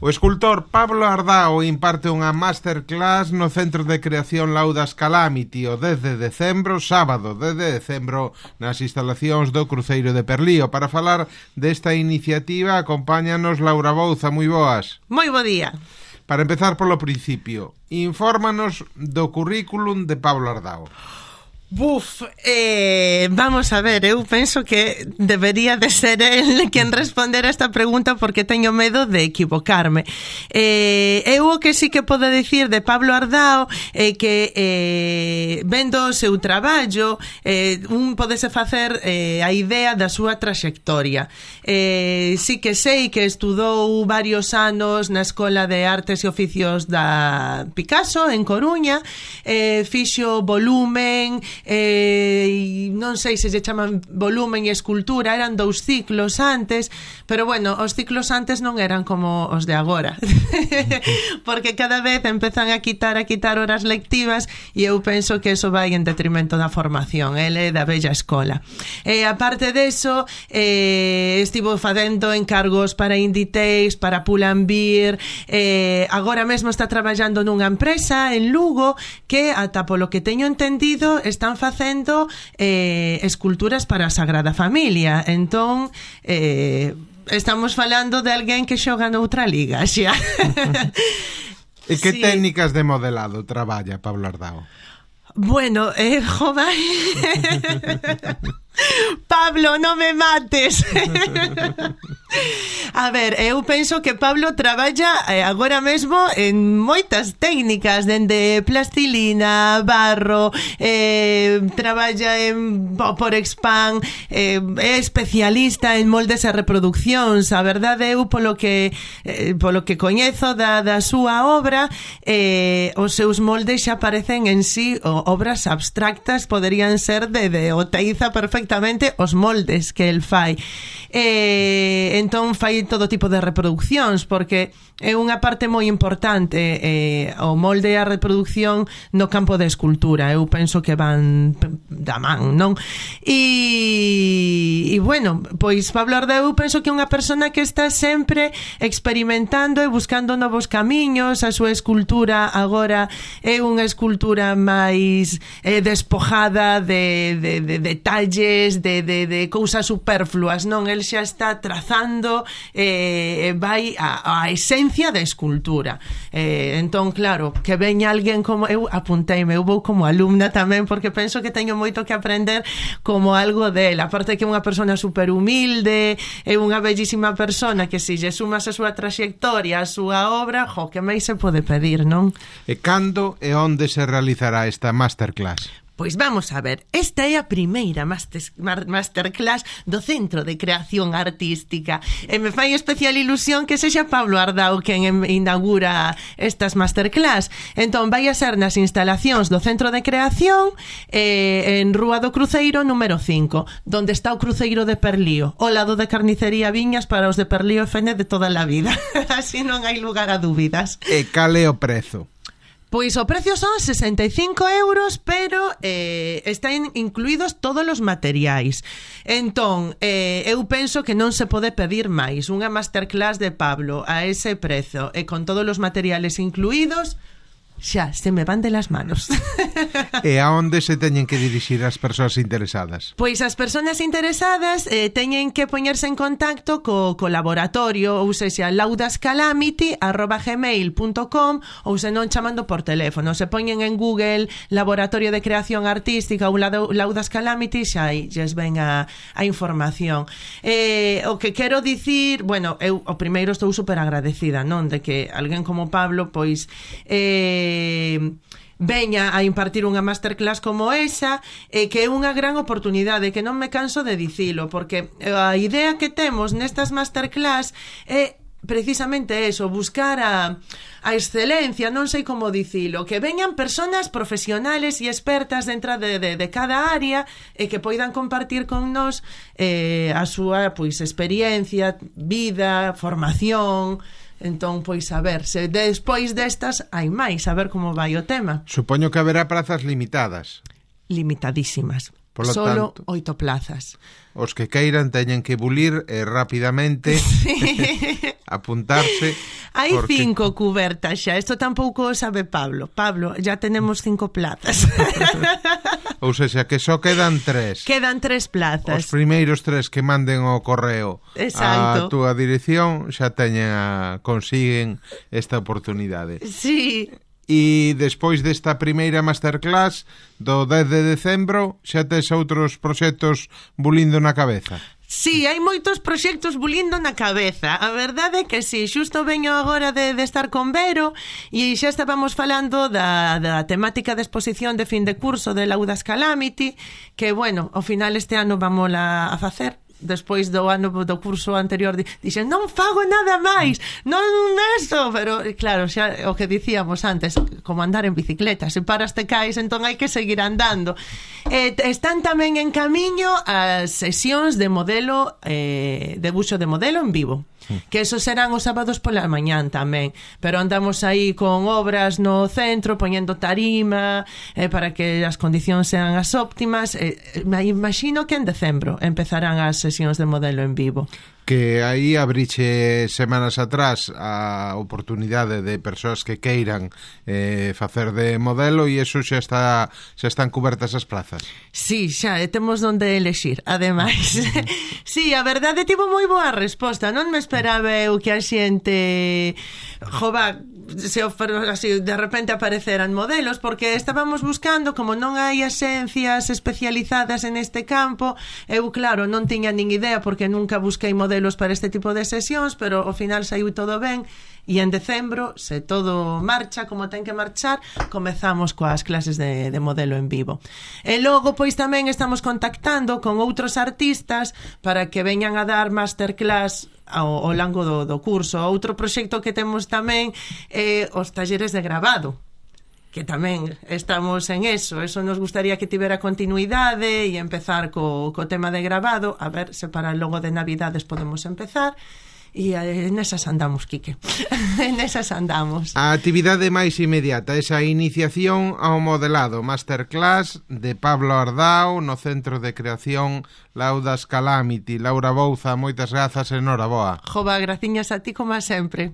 O escultor Pablo Ardao imparte unha masterclass no Centro de Creación Laudas Calamity o 10 de decembro, sábado 10 de decembro, nas instalacións do Cruceiro de Perlío. Para falar desta iniciativa, acompáñanos Laura Bouza. Moi boas. Moi bo día. Para empezar polo principio, infórmanos do currículum de Pablo Ardao. Vamos a ver, eu penso que debería de ser el quen responder a esta pregunta porque teño medo de equivocarme. Eu o que sí que podo dicir de Pablo Ardao é que vendo o seu traballo un podese facer a idea da súa traxectoria. Sí que sei que estudou varios anos na Escola de Artes e Oficios da Picasso en Coruña, fixo volumen, non sei se se chaman volumen e escultura, eran 2 ciclos antes, pero bueno, os ciclos antes non eran como os de agora porque cada vez empezan a quitar horas lectivas e eu penso que eso vai en detrimento da formación, ele da bella escola. Aparte deso, estivo facendo encargos para Inditex, para Pull&Bear, agora mesmo está traballando nunha empresa en Lugo que, ata polo que teño entendido, están facendo esculturas para a Sagrada Familia. Entón, estamos falando de alguén que xoga noutra liga xa. E que sí. Técnicas de modelado traballa Pablo Ardao? Bueno, joder. Pablo, non me mates. A ver, eu penso que Pablo traballa agora mesmo en moitas técnicas, dende plastilina, barro, traballa en Porexpan, é especialista en moldes e reproduccións. A verdade, eu polo que coñezo da súa obra, os seus moldes xa parecen en sí obras abstractas, poderían ser de Oteiza perfectamente os moldes que el fai. Entón fai todo tipo de reproduccións, porque é unha parte moi importante o molde e a reproducción no campo de escultura. Eu penso que van da man, non? E bueno, pois Pablo Ardao eu penso que é unha persona que está sempre experimentando e buscando novos camiños. A súa escultura agora é unha escultura máis despojada de detalles, de cousas superfluas, non? El xa está trazando, vai a esencia da escultura. Entón, claro, que veña alguén como eu, apunteime, eu vou como alumna tamén, porque penso que teño moito que aprender como algo dela. Aparte que é unha persona super humilde, é unha bellísima persona que se lle sumas a súa traxectoria, a súa obra, que máis se pode pedir, non? E cando e onde se realizará esta masterclass? Pois vamos a ver, esta é a primeira masterclass do Centro de Creación Artística e me fai especial ilusión que sexa Pablo Ardao quen inaugura estas masterclass. Entón vai a ser nas instalacións do Centro de Creación en Rúa do Cruceiro número 5, donde está o Cruceiro de Perlío, ao lado de Carnicería Viñas para os de Perlío e Fene de toda a vida. Así non hai lugar a dúbidas. E cal é o prezo? Pois o precio son 65 euros, pero están incluídos todos os materiais. Entón, eu penso que non se pode pedir máis. Unha masterclass de Pablo a ese prezo e con todos os materiales incluídos, xa, se me van de las manos. E a onde se teñen que dirixir as persoas interesadas? Pois as persoas interesadas teñen que poñerse en contacto co laboratorio, ou sexa, laudascalamity@gmail.com, ou se non chamando por teléfono. Se poñen en Google Laboratorio de Creación Artística ou Laudas Calamity, xa aí lles ven a información. O que quero dicir, bueno, eu o primeiro estou super agradecida, non, de que alguén como Pablo, pois veña a impartir unha masterclass como esa, que é unha gran oportunidade, que non me canso de dicilo, porque a idea que temos nestas masterclass é precisamente eso, buscar a excelencia, non sei como dicilo, que veñan personas profesionales e expertas dentro de cada área e que poidan compartir con nós a súa pois experiencia, vida, formación. Entón, pois, a ver, se despois destas hai máis, a ver como vai o tema. Supoño que haberá prazas limitadas. Limitadísimas. Solo 8 plazas. Os que queiran teñen que bulir rapidamente apuntarse. Hai 5 cubertas xa. Isto tampouco sabe Pablo. Pablo, ya tenemos 5 plazas. Ou seja, que só quedan 3. Quedan 3 plazas. Os primeiros 3 que manden o correo a túa dirección xa consiguen esta oportunidade. Sí. E despois desta primeira masterclass do 10 de decembro xa tes outros proxectos bulindo na cabeza? Sí, hai moitos proxectos bulindo na cabeza. A verdade é que sí, xusto veño agora de estar con Vero e xa estábamos falando da temática de exposición de fin de curso de Laudas Calamity, que, bueno, ao final este ano vamos a facer. Despois do ano do curso anterior dixen, non fago nada máis, non eso, pero claro, xa o que dicíamos antes, como andar en bicicleta, se paras te caes, entón hai que seguir andando. Están tamén en camiño as sesións de modelo, debuxo de modelo en vivo, que esos serán os sábados pola mañán tamén, pero andamos aí con obras no centro, poñendo tarima para que as condicións sean as óptimas. Me imagino que en decembro empezarán as sesións de modelo en vivo. Que aí abriche semanas atrás a oportunidade de persoas que queiran facer de modelo e iso xa están cubertas as plazas. Sí, xa temos onde elexir, ademais. Sí, a verdade tivo moi boa resposta. Non me esperaba eu que a xente así, de repente apareceran modelos, porque estábamos buscando, como non hai axencias especializadas en este campo, eu claro, non tiña nin idea porque nunca busquei modelos para este tipo de sesións, pero ao final saiu todo ben. E en decembro, se todo marcha como ten que marchar, comezamos coas clases de modelo en vivo. E logo, pois tamén estamos contactando con outros artistas para que veñan a dar masterclass ao longo do curso. Outro proxecto que temos tamén é os talleres de gravado, que tamén estamos en eso nos gustaría que tivera continuidade e empezar co tema de gravado, a ver se para logo de Navidades podemos empezar. E nesas andamos, Quique. Nesas andamos. A actividade máis inmediata, esa iniciación ao modelado, masterclass de Pablo Ardao no Centro de Creación Laudas Calamity. Laura Bouza, moitas grazas e noraboa. Jova, graciñas a ti como sempre.